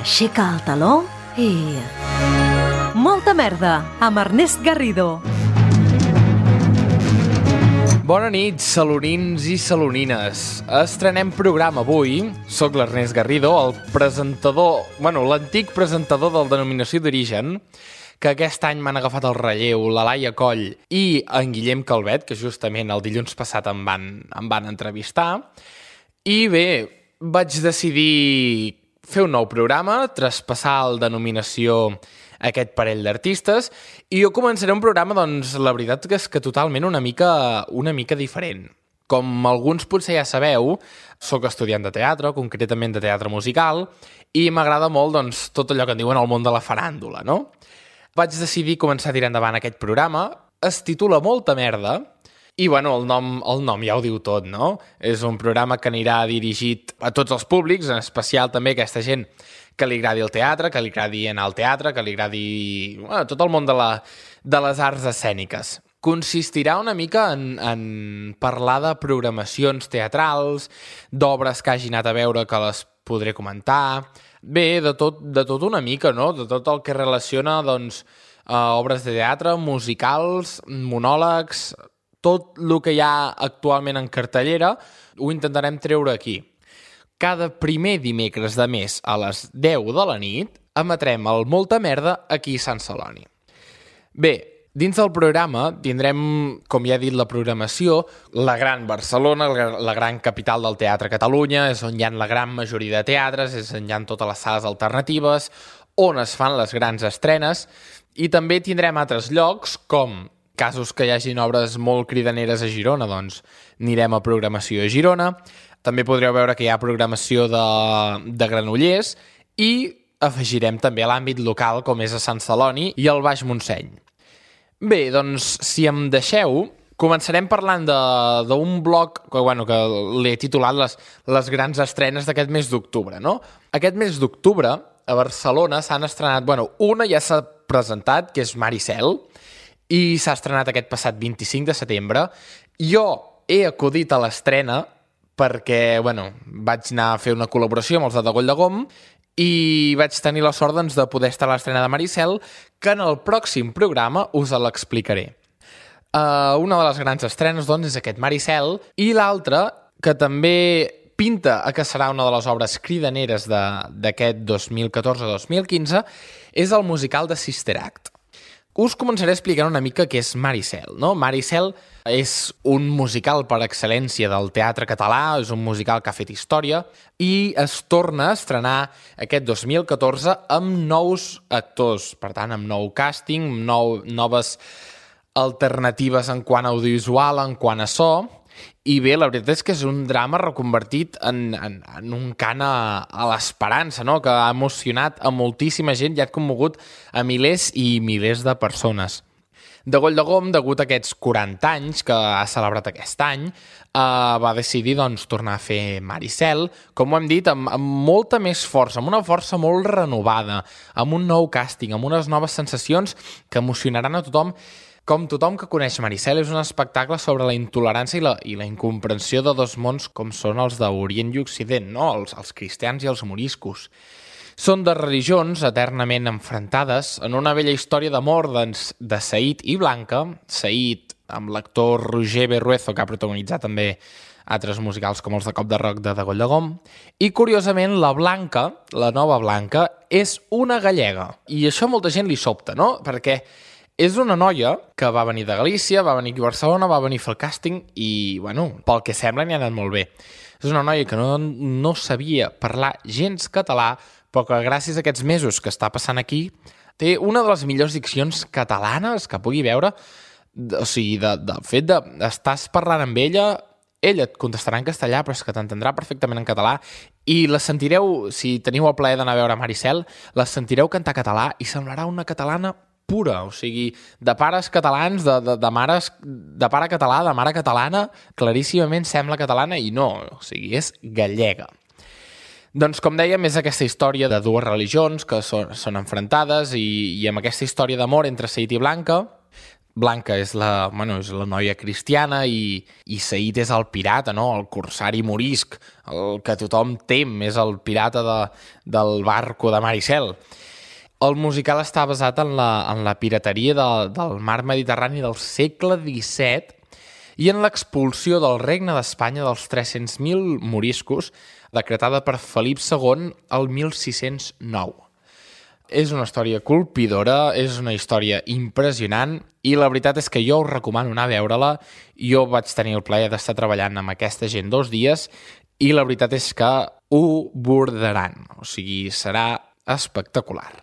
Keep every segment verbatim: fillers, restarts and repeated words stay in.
aixeca el taló i... Molta merda, amb Ernest Garrido. Bona nit, salonins i salonines. Estrenem programa avui. Soc l'Ernest Garrido, el presentador, bueno, l'antic presentador del Denominació d'Origen, que aquest any m'han agafat el relleu la Laia Coll i en Guillem Calvet, que justament el dilluns passat em van, em van entrevistar. I bé, vaig decidir fer un nou programa, traspassar el Denominació aquest parell d'artistes, i jo començaré un programa, doncs, la veritat que és que totalment una mica, una mica diferent. Com alguns potser ja sabeu, sóc estudiant de teatre, concretament de teatre musical, i m'agrada molt, doncs, tot allò que en diuen el món de la faràndula, no? Vaig decidir començar a tirar endavant aquest programa, es titula Molta merda, i, bueno, el nom, el nom ja ho diu tot, no? És un programa que anirà dirigit a tots els públics, en especial també a aquesta gent que li agradi el teatre, que li agradi anar al teatre, que li agradi bueno, tot el món de, la, de les arts escèniques. Consistirà una mica en, en parlar de programacions teatrals, d'obres que hagi anat a veure que les podré comentar, bé, de tot, de tot una mica, no? De tot el que relaciona, doncs, a obres de teatre, musicals, monòlegs, tot el que hi ha actualment en cartellera, ho intentarem treure aquí. Cada primer dimecres de mes a les deu de la nit emetrem el Molta merda aquí a Sant Celoni. Bé, dins del programa tindrem, com ja he dit, la programació, la gran Barcelona, la gran capital del teatre a Catalunya, és on hi ha la gran majoria de teatres, és on hi ha totes les sales alternatives, on es fan les grans estrenes, i també tindrem altres llocs, com casos que hi hagin obres molt cridaneres a Girona, doncs anirem a programació a Girona. També podreu veure que hi ha programació de, de Granollers i afegirem també l'àmbit local, com és a Sant Celoni i el Baix Montseny. Bé, doncs, si em deixeu, començarem parlant d'un bloc que, bueno, que l'he titulat les, les grans estrenes d'aquest mes d'octubre, no? Aquest mes d'octubre, a Barcelona, s'han estrenat... Bueno, una ja s'ha presentat, que és Maricel, i s'ha estrenat aquest passat vint-i-cinc de setembre. Jo he acudit a l'estrena perquè, bueno, vaig anar a fer una col·laboració amb els de Degoll de Gom i vaig tenir la sort, doncs, de poder estar a l'estrena de Maricel, que en el pròxim programa us l'explicaré. Uh, una de les grans estrenes, doncs, és aquest Maricel, i l'altra, que també pinta a que serà una de les obres cridaneres d'aquest dos mil catorze dos mil quinze, és el musical de Sister Act. Us començaré explicant una mica què és Maricel, no? Maricel és un musical per excel·lència del teatre català, és un musical que ha fet història i es torna a estrenar aquest dos mil catorze amb nous actors, per tant, amb nou càsting, amb nou, noves alternatives en quant a audiovisual, en quant a so. I bé, la veritat és que és un drama reconvertit en, en, en un cant a, a l'esperança, no? Que ha emocionat a moltíssima gent i ha commogut a milers i milers de persones. Degoll de Gom, degut a aquests quaranta anys que ha celebrat aquest any, eh, va decidir, doncs, tornar a fer Maricel, com ho hem dit, amb, amb molta més força, amb una força molt renovada, amb un nou càsting, amb unes noves sensacions que emocionaran a tothom. Com tothom que coneix Maricel, és un espectacle sobre la intolerància i la, i la incomprensió de dos mons com són els d'Orient i Occident, no? els, els cristians i els moriscos. Són de religions eternament enfrontades en una vella història d'amor doncs, de Said i Blanca, Said amb l'actor Roger Berruezo, que ha protagonitzat també altres musicals com els de Cop de Roc de Degoll de Gom, i curiosament la Blanca, la nova Blanca, és una gallega. I això a molta gent li sobta, no? Perquè és una noia que va venir de Galícia, va venir aquí a Barcelona, va venir a fer el càsting i, bueno, pel que sembla n'hi ha anat molt bé. És una noia que no, no sabia parlar gens català, però que gràcies a aquests mesos que està passant aquí té una de les millors diccions catalanes que pugui veure. O sigui, de, de fet de estàs parlant amb ella, ella et contestarà en castellà, però és que t'entendrà perfectament en català i la sentireu, si teniu el plaer d'anar a veure Maricel, la sentireu cantar català i semblarà una catalana pura, o sigui, de pares catalans, de, de, de mares, de pare català, de mare catalana, claríssimament sembla catalana i no, o sigui, és gallega. Doncs, com dèiem, és aquesta història de dues religions que són, són enfrontades i, i amb aquesta història d'amor entre Said i Blanca Blanca és la, bueno, és la noia cristiana i, i Said és el pirata, no? El corsari morisc, el que tothom tem, és el pirata de, del barco de mar i cel. El musical està basat en la, en la pirateria de, del mar Mediterrani del segle disset i en l'expulsió del Regne d'Espanya dels tres-cents mil moriscos decretada per Felip segon el mil sis-cents nou. És una història colpidora, és una història impressionant i la veritat és que jo us recomano anar a veure-la. Jo vaig tenir el plaer d'estar treballant amb aquesta gent dos dies i la veritat és que ho bordaran, o sigui, serà espectacular.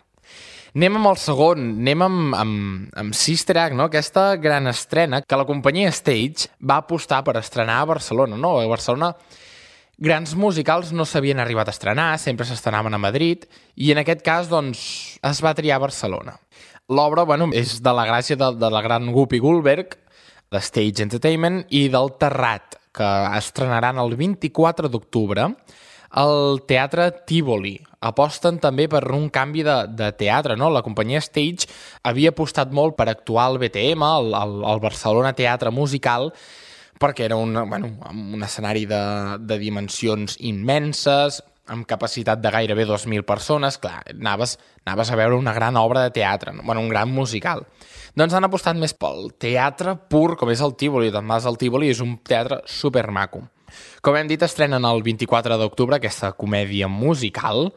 Anem amb el segon, anem amb, amb, amb Sister Act, no? Aquesta gran estrena que la companyia Stage va apostar per estrenar a Barcelona. No? A Barcelona grans musicals no s'havien arribat a estrenar, sempre s'estrenaven a Madrid, i en aquest cas doncs, es va triar a Barcelona. L'obra bueno, és de la gràcia de, de la gran Whoopi Goldberg, de Stage Entertainment, i del Terrat, que estrenaran el vint-i-quatre d'octubre al Teatre Tívoli. Aposten també per un canvi de, de teatre, no? La companyia Stage havia apostat molt per actuar al B T M, al, al, al Barcelona Teatre Musical, perquè era un, bueno, un escenari de, de dimensions immenses, amb capacitat de gairebé dos mil persones. Clar, anaves, anaves a veure una gran obra de teatre, bueno, un gran musical. Doncs han apostat més pel teatre pur, com és el Tívoli. Además, el Tívoli és un teatre supermaco. Com hem dit, estrenen el vint-i-quatre d'octubre aquesta comèdia musical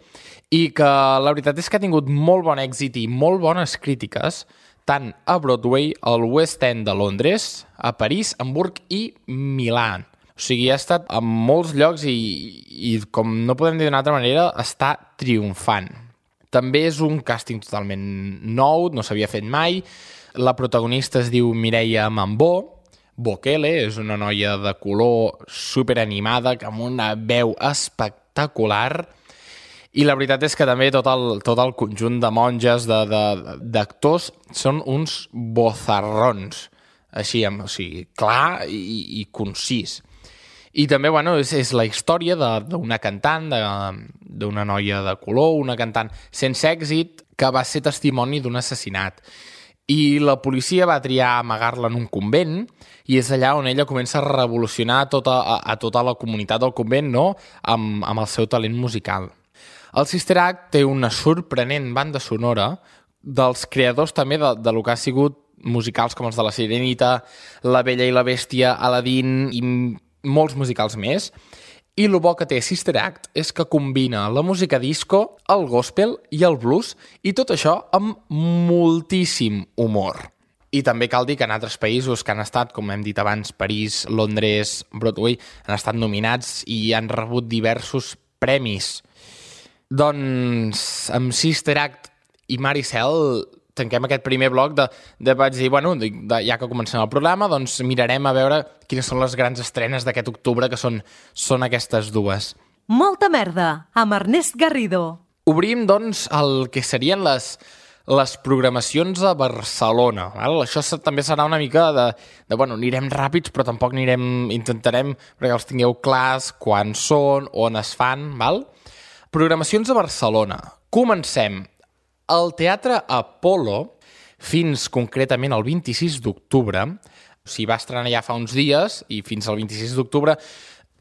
i que la veritat és que ha tingut molt bon èxit i molt bones crítiques, tant a Broadway, al West End de Londres, a París, Hamburg i Milà. O sigui, ha estat en molts llocs i, i com no podem dir d'una altra manera, està triomfant. També és un càsting totalment nou, no s'havia fet mai. La protagonista es diu Mireia Mambó. Bokele és una noia de color superanimada, amb una veu espectacular. I la veritat és que també tot el, tot el conjunt de monges, d'actors, són uns bozarrons, així, o sigui, clar i, i concís. I també, bueno, és, és la història d'una cantant, d'una noia de color, una cantant sense èxit, que va ser testimoni d'un assassinat. I la policia va triar amagar-la en un convent, i és allà on ella comença a revolucionar tota, a, a tota la comunitat del convent, no?, amb, amb el seu talent musical. El Sister Act té una sorprenent banda sonora dels creadors també de, de lo que ha sigut musicals com els de La Sirenita, La Bella i la Bèstia, Aladdin i molts musicals més. I el bo que té Sister Act és que combina la música disco, el gospel i el blues, i tot això amb moltíssim humor. I també cal dir que en altres països que han estat, com hem dit abans, París, Londres, Broadway, han estat nominats i han rebut diversos premis. Doncs amb Sister Act i Maricel tanquem aquest primer bloc de, de vaig dir, bueno, de, de, ja que comencem el programa, doncs mirarem a veure quines són les grans estrenes d'aquest octubre, que són, són aquestes dues. Molta merda, amb Ernest Garrido. Obrim, doncs, el que serien les, les programacions a Barcelona. Val? Això també serà una mica de, de, bueno, anirem ràpids, però tampoc anirem, intentarem, perquè els tingueu clars, quan són, on es fan, val? Programacions a Barcelona. Comencem. El Teatre Apolo, fins concretament el vint-i-sis d'octubre, o sigui, va estrenar ja fa uns dies, i fins al vint-i-sis d'octubre,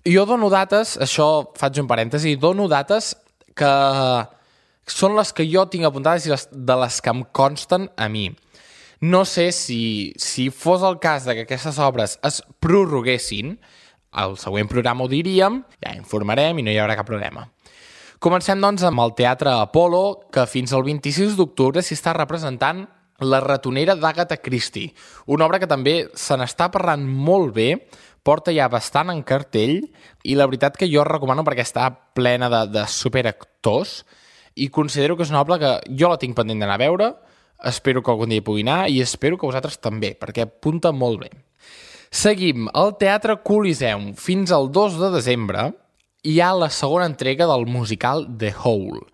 jo dono dates, això faig un parèntesi, dono dates que són les que jo tinc apuntades i les, de les que em consten a mi. No sé si, si fos el cas de que aquestes obres es prorroguessin, al següent programa ho diríem, ja informarem i no hi haurà cap problema. Comencem, doncs, amb el Teatre Apolo, que fins al vint-i-sis d'octubre s'hi està representant La ratonera d'Agatha Christie, una obra que també se n'està parlant molt bé, porta ja bastant en cartell, i la veritat que jo recomano perquè està plena de, de superactors, i considero que és una obra que jo la tinc pendent d'anar a veure, espero que algun dia hi pugui anar, i espero que vosaltres també, perquè apunta molt bé. Seguim, al Teatre Coliseum, fins al dos de desembre, hi ha la segona entrega del musical The Howl.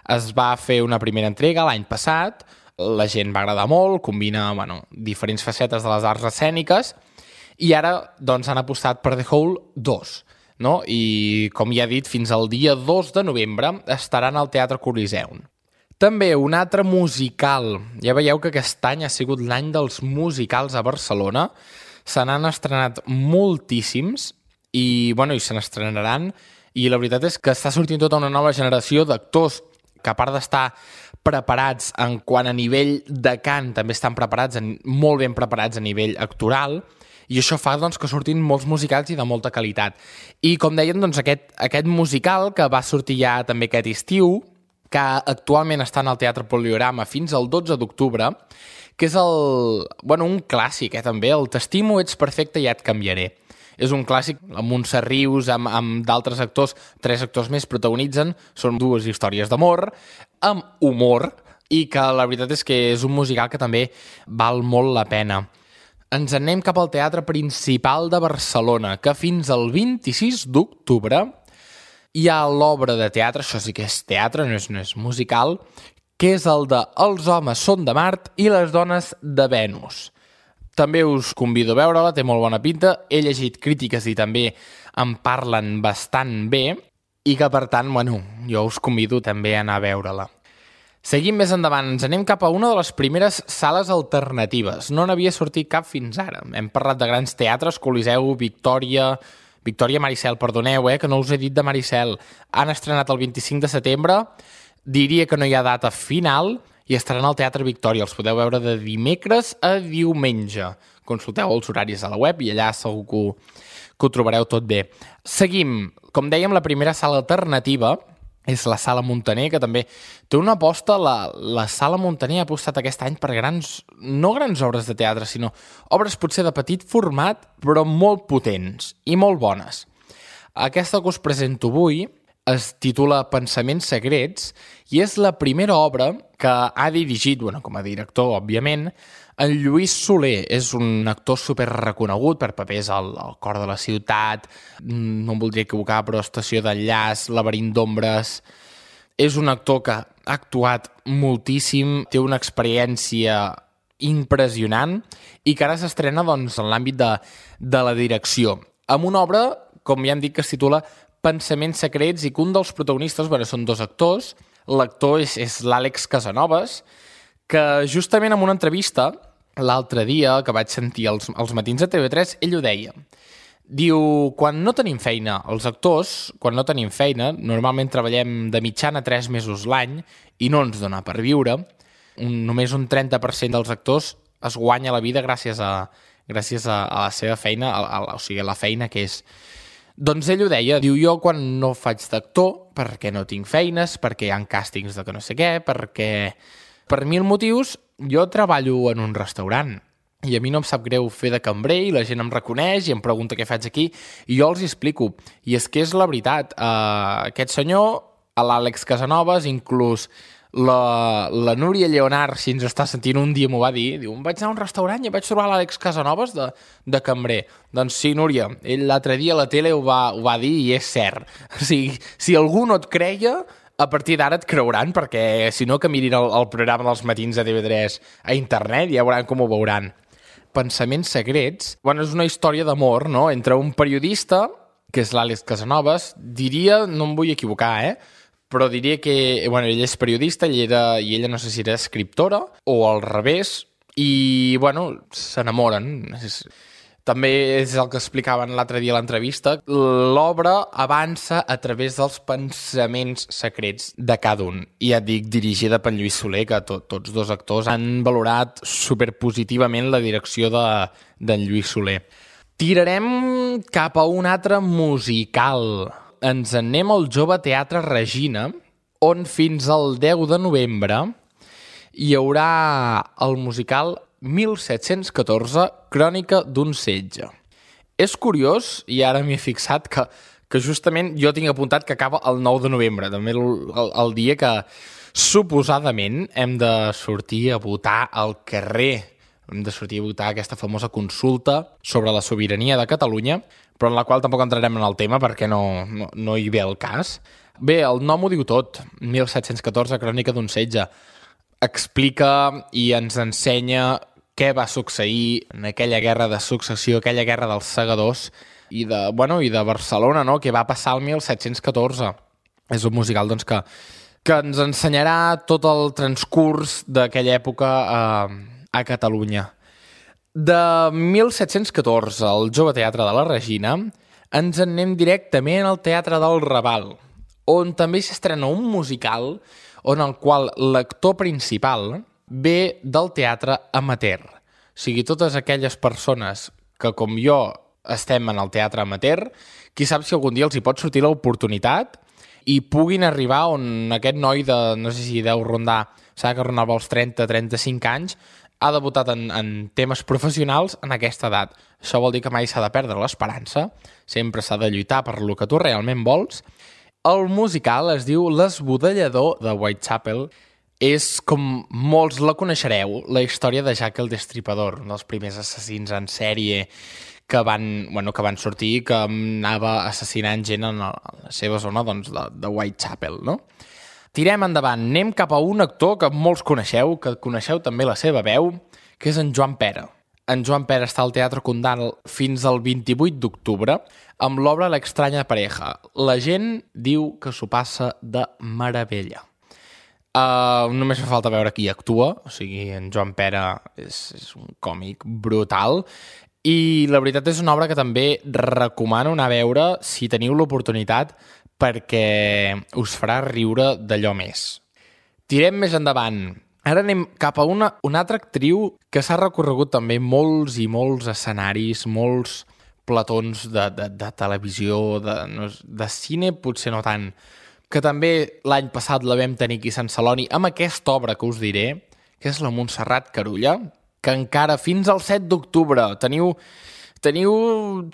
Es va fer una primera entrega l'any passat, la gent va agradar molt, combina bueno, diferents facetes de les arts escèniques, i ara doncs, han apostat per The Howl dos. No? I, com ja he dit, fins al dia dos de novembre estaran al Teatre Coliseum. També un altre musical. Ja veieu que aquest any ha sigut l'any dels musicals a Barcelona. Se n'han estrenat moltíssims i, bueno, i se n'estrenaran. I la veritat és que està sortint tota una nova generació d'actors que, a part d'estar preparats en quant a nivell de cant, també estan preparats, en, molt ben preparats a nivell actoral, i això fa doncs, que surtin molts musicals i de molta qualitat. I, com deien, doncs, aquest, aquest musical, que va sortir ja també aquest estiu, que actualment està en el Teatre Poliorama fins al dotze d'octubre, que és el, bueno, un clàssic, eh, també, el T'estimo, ets perfecte, ja et canviaré. És un clàssic amb Montse Rius, amb, amb d'altres actors, tres actors més protagonitzen, són dues històries d'amor, amb humor, i que la veritat és que és un musical que també val molt la pena. Ens anem cap al Teatre Principal de Barcelona, que fins al vint-i-sis d'octubre hi ha l'obra de teatre, això sí que és teatre, no és, no és musical, que és el de Els homes són de Mart i les dones de Venus. També us convido a veure-la, té molt bona pinta, he llegit crítiques i també en parlen bastant bé, i que per tant, bueno, jo us convido també a anar a veure-la. Seguim més endavant, ens anem cap a una de les primeres sales alternatives. No n'havia sortit cap fins ara. Hem parlat de grans teatres, Coliseu, Victòria... Victòria Maricel, perdoneu, eh, que no us he dit de Maricel. Han estrenat el vint-i-cinc de setembre, diria que no hi ha data final, i estaran al Teatre Victòria. Els podeu veure de dimecres a diumenge. Consulteu els horaris a la web i allà segur que ho, que ho trobareu tot bé. Seguim. Com dèiem, la primera sala alternativa és la Sala Muntaner, que també té una aposta. La, la Sala Muntaner ha apostat aquest any per grans, no grans obres de teatre, sinó obres potser de petit format, però molt potents i molt bones. Aquesta que us presento avui es titula Pensaments secrets i és la primera obra que ha dirigit, bueno, com a director, òbviament, en Lluís Soler. És un actor super reconegut per papers al, al Cor de la ciutat, no em voldria equivocar, però Estació d'enllaç, Laberint d'ombres. És un actor que ha actuat moltíssim, té una experiència impressionant i que ara s'estrena doncs, en l'àmbit de, de la direcció. Amb una obra, com ja hem dit, que es titula Pensaments secrets i que un dels protagonistes, bueno, són dos actors. L'actor és, és l'Àlex Casanovas, que justament en una entrevista l'altre dia que vaig sentir als, als matins de T V tres, ell ho deia. Diu, quan no tenim feina, els actors, quan no tenim feina, normalment treballem de mitjana tres mesos l'any i no ens dona per viure. Un, només un trenta per cent dels actors es guanya la vida gràcies a, gràcies a, a la seva feina, a, a, o sigui, a la feina que és. Doncs ell ho deia, diu, jo quan no faig d'actor, perquè no tinc feines, perquè hi ha càstings de que no sé què, perquè per mil motius jo treballo en un restaurant i a mi no em sap greu fer de cambrer i la gent em reconeix i em pregunta què faig aquí i jo els hi explico. I és que és la veritat, uh, aquest senyor, l'Àlex Casanovas, inclús la, la Núria Lleonard, si ens està sentint, un dia m'ho va dir, diu, em vaig anar a un restaurant i vaig trobar l'Àlex Casanovas de, de cambrer. Doncs sí, Núria, ell l'altre dia a la tele ho va, ho va dir i és cert. O sigui, si algú no et creia, a partir d'ara et creuran, perquè si no que mirin el, el programa dels matins de T V tres a internet i ja veuran com ho veuran. Pensaments secrets, bueno, és una història d'amor, no?, entre un periodista, que és l'Àlex Casanovas, diria, no em vull equivocar, eh?, però diria que, bueno, ell és periodista i, era, i ella no sé si era escriptora o al revés, i, bueno, s'enamoren. És... També és el que explicaven l'altre dia a l'entrevista. L'obra avança a través dels pensaments secrets de cada un. I ja et dic, dirigida per Lluís Soler, que to, tots dos actors han valorat superpositivament la direcció de, d'en Lluís Soler. Tirarem cap a un altre musical. Ens anem al Jove Teatre Regina, on fins al deu de novembre hi haurà el musical mil set-cents catorze, Crònica d'un setge. És curiós, i ara m'hi he fixat, que, que justament jo tinc apuntat que acaba el nou de novembre, també el, el, el dia que suposadament hem de sortir a votar al carrer. Hem de sortir a votar aquesta famosa consulta sobre la sobirania de Catalunya, però en la qual tampoc entrarem en el tema perquè no, no, no hi ve el cas. Bé, el nom ho diu tot, mil set-cents catorze, Crònica d'un setge. Explica i ens ensenya què va succeir en aquella guerra de successió, aquella guerra dels segadors i de, bueno, i de Barcelona, no?, que va passar el mil set-cents catorze. És un musical doncs, que que ens ensenyarà tot el transcurs d'aquella època a, a Catalunya. De mil set-cents catorze, al Jove Teatre de la Regina, ens en anem directament al Teatre del Raval, on també s'estrena un musical on el qual l'actor principal ve del teatre amateur. O sigui, totes aquelles persones que, com jo, estem en el teatre amateur, qui sap si algun dia els hi pot sortir l'oportunitat i puguin arribar on aquest noi de, no sé si deu rondar, s'ha que rondava els trenta a trenta-cinc anys, ha debutat en, en temes professionals en aquesta edat. Això vol dir que mai s'ha de perdre l'esperança, sempre s'ha de lluitar per lo que tu realment vols. El musical es diu L'Esbudellador de Whitechapel. És, com molts la coneixereu, la història de Jack el Destripador, un dels primers assassins en sèrie que van, bueno, que van sortir i que anava assassinant gent en la seva zona, doncs, de, de Whitechapel, no? Tirem endavant, anem cap a un actor que molts coneixeu, que coneixeu també la seva veu, que és en Joan Pera. En Joan Pera està al Teatre Condal fins al vint-i-vuit d'octubre amb l'obra L'extranya pareja. La gent diu que s'ho passa de meravella. Uh, només fa falta veure qui actua, o sigui, en Joan Pera és, és un còmic brutal i la veritat és una obra que també recomano anar a veure si teniu l'oportunitat perquè us farà riure d'allò més. Tirem més endavant. Ara anem cap a una, una altra actriu que s'ha recorregut també molts i molts escenaris, molts platons de, de, de televisió, de, no, de cine, potser no tant, que també l'any passat la vam tenir aquí a Sant Celoni amb aquesta obra que us diré, que és la Montserrat Carulla, que encara fins al set d'octubre teniu, teniu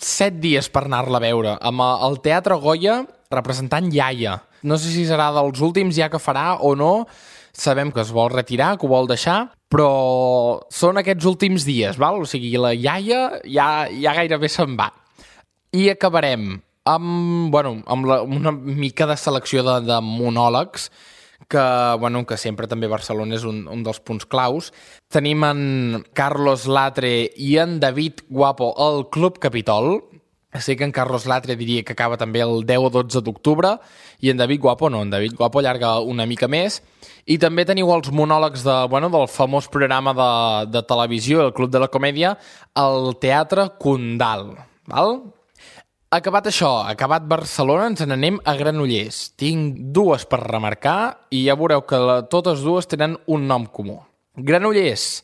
set dies per anar-la a veure, amb el Teatre Goya representant Iaia. No sé si serà dels últims ja que farà o no, sabem que es vol retirar, que ho vol deixar, però són aquests últims dies, val? O sigui, la Iaia ja, ja gairebé se'n va. I acabarem amb, bueno, amb la, una mica de selecció de, de monòlegs, que, bueno, que sempre també Barcelona és un, un dels punts claus. Tenim en Carlos Latre i en David Guapo al Club Capitol. Sé que en Carlos Latre diria que acaba també el deu o dotze d'octubre i en David Guapo no, en David Guapo allarga una mica més. I també teniu els monòlegs de, bueno, del famós programa de, de televisió, el Club de la Comèdia, al Teatre Condal. Val? Acabat això, acabat Barcelona, ens n'anem a Granollers. Tinc dues per remarcar i ja veureu que la, totes dues tenen un nom comú. Granollers,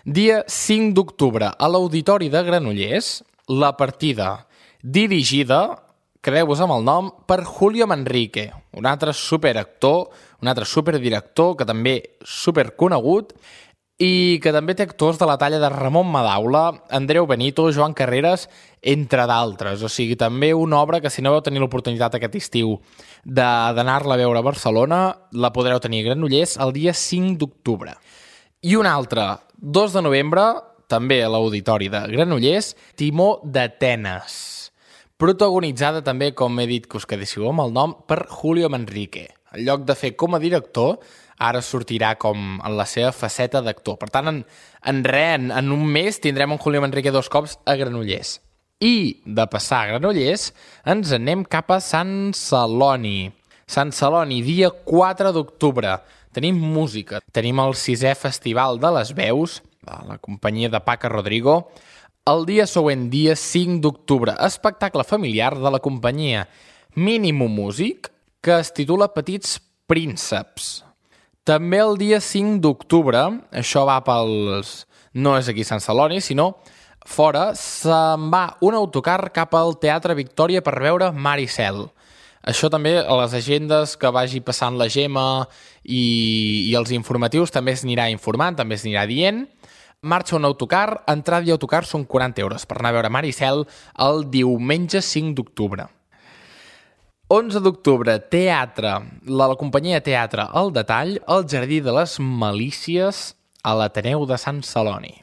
dia cinc d'octubre, a l'Auditori de Granollers, la partida dirigida, quedeu-vos amb el nom, per Julio Manrique, un altre superactor, un altre superdirector que també superconegut i que també té actors de la talla de Ramon Madaula, Andreu Benito, Joan Carreras, entre d'altres. O sigui, també una obra que si no vau tenir l'oportunitat aquest estiu d'anar-la a veure a Barcelona, la podreu tenir a Granollers el dia cinc d'octubre. I una altra, dos de novembre, també a l'Auditori de Granollers, Timó d'Atenes, protagonitzada també, com he dit que us quedéssiu amb el nom, per Julio Manrique. En lloc de fer com a director, ara sortirà com en la seva faceta d'actor. Per tant, en, en res, en, en un mes, tindrem en Julio Manrique dos cops a Granollers. I, de passar a Granollers, ens anem cap a Sant Celoni. Sant Celoni, dia quatre d'octubre. Tenim música. Tenim el sisè Festival de les Veus, de la companyia de Paca Rodrigo. El dia següent, dia cinc d'octubre, espectacle familiar de la companyia Minimum Music, que es titula Petits Prínceps. També el dia cinc d'octubre, això va pels... no és aquí a Sant Celoni, sinó fora, se'n va un autocar cap al Teatre Victòria per veure Mar i Cel. Això també a les agendes que vagi passant la Gemma i, i els informatius també es anirà informant, també es anirà dient. Marxa un autocar, entrada i autocar són quaranta euros per anar a veure Mar i Cel el diumenge cinc d'octubre. onze d'octubre, teatre, la, la companyia Teatre El Detall, al Jardí de les Malícies, a l'Ateneu de Sant Celoni.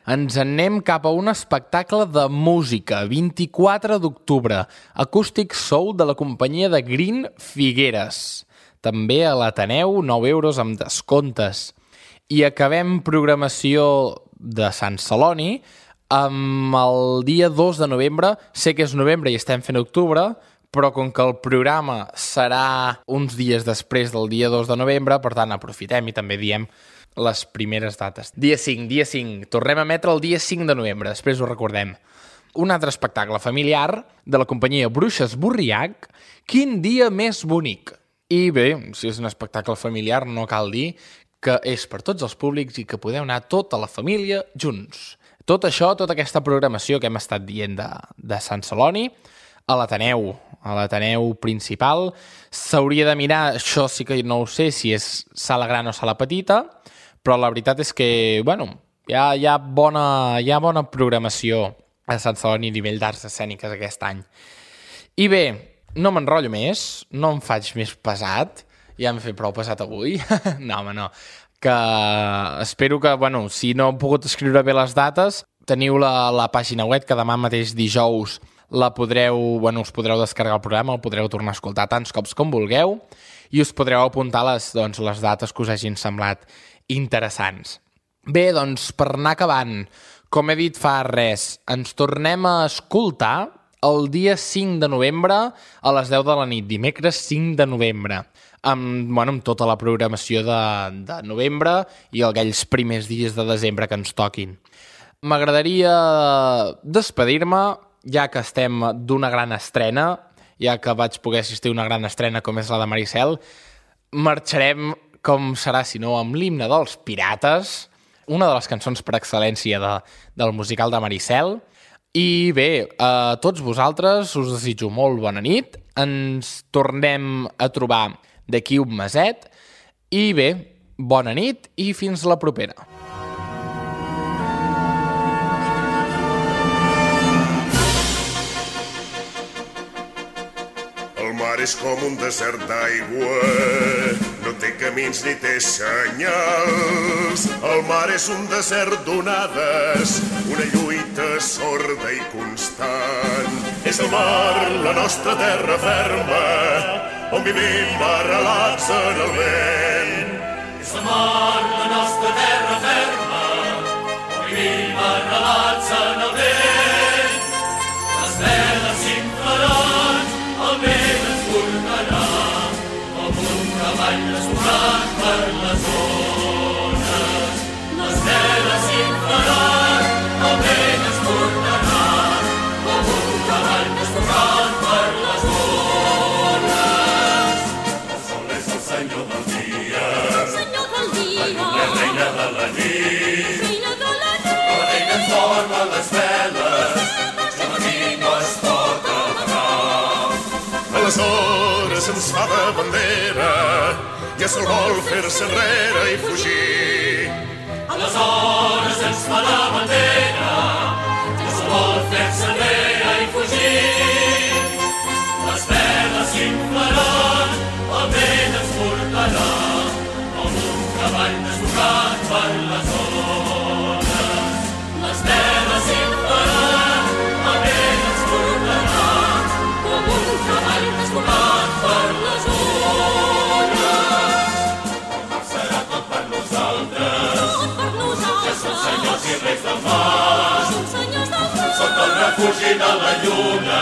Ens anem cap a un espectacle de música, vint-i-quatre d'octubre, Acústic Soul de la companyia de Green Figueres. També a l'Ateneu, nou euros amb descomptes. I acabem programació de Sant Celoni amb el dia dos de novembre. Sé que és novembre i estem fent octubre, però com que el programa serà uns dies després del dia dos de novembre, per tant, aprofitem i també diem les primeres dates. Dia cinc, dia cinc. Tornem a emetre el dia cinc de novembre, després ho recordem. Un altre espectacle familiar de la companyia Bruixes Borriac, Quin dia més bonic. I bé, si és un espectacle familiar, no cal dir que és per tots els públics i que podeu anar tota la família junts. Tot això, tota aquesta programació que hem estat dient de, de Sant Celoni, a l'Ateneu, a l'Ateneu principal, s'hauria de mirar, això sí que no ho sé, si és sala gran o sala petita, però la veritat és que, bueno, hi ha, hi ha, bona, hi ha bona programació a Sant Celoni a nivell d'arts escèniques aquest any. I bé, no m'enrotllo més, no em faig més pesat, ja m'he fet prou pesat avui, no, home, no, que espero que, bueno, si no he pogut escriure bé les dates, teniu la, la pàgina web, que demà mateix dijous la podreu, bueno, us podreu descarregar el programa, el podreu tornar a escoltar tants cops com vulgueu, i us podreu apuntar les, doncs, les dates que us hagin semblat interessants. Bé, doncs, per anar acabant, com he dit fa res, ens tornem a escoltar el dia cinc de novembre a les deu de la nit, dimecres cinc de novembre, amb, bueno, amb tota la programació de, de novembre i aquells primers dies de desembre que ens toquin. M'agradaria despedir-me, ja que estem d'una gran estrena, ja que vaig poder assistir a una gran estrena com és la de Maricel, marxarem, com serà si no, amb l'himne dels Pirates, una de les cançons per excel·lència de, del musical de Maricel. I bé, a tots vosaltres us desitjo molt bona nit, ens tornem a trobar d'aquí un meset, i bé, bona nit i fins la propera. El mar és com un desert d'aigua, no té camins ni té senyals. El mar és un desert d'onades, una lluita sorda i constant. És el mar, la nostra terra ferma, on vivim arrelats en el vent. És el mar, la nostra terra ferma, on vivim arrelats en el vent. Les veles s'inflaran, el vent ens portarà, com un cavall desbocat per les ones. Les veles s'inflaran, el vent ens portarà, com un cavall desbocat per les ones. El sol és el senyor del dia, el senyor del dia, la reina de la nit, reina de la nit. la reina ens dorma les veles, la matí no es pot apagar. Aleshores ens fa de bandera, ja se'l vol fer-se enrere i fugir. Aleshores ens fa la bandera, ja se'l vol fer-se enrere i fugir. Les veles s'inflaran, el vent ens portarà, com un cavall desbocat per les ones. Les veles s'inflaran, el vent ens portarà, com un cavall desbocat per les ones. El mar serà tot per nosaltres, Tot per nosaltres, ja som senyors i reis del mar. som senyors del mar. Sota el refugi de la lluna,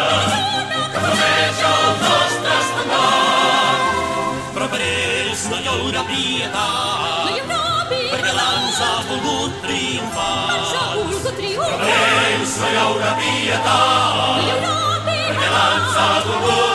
que flameja el nostre estendard. Però per ells no hi haurà pietat, No hi haurà perquè pietat, l'ans ha volgut triomfar. ens ha volgut Per triomfar. ells no hi haurà pietat, No hi haurà perquè l'ans ha pietat, volgut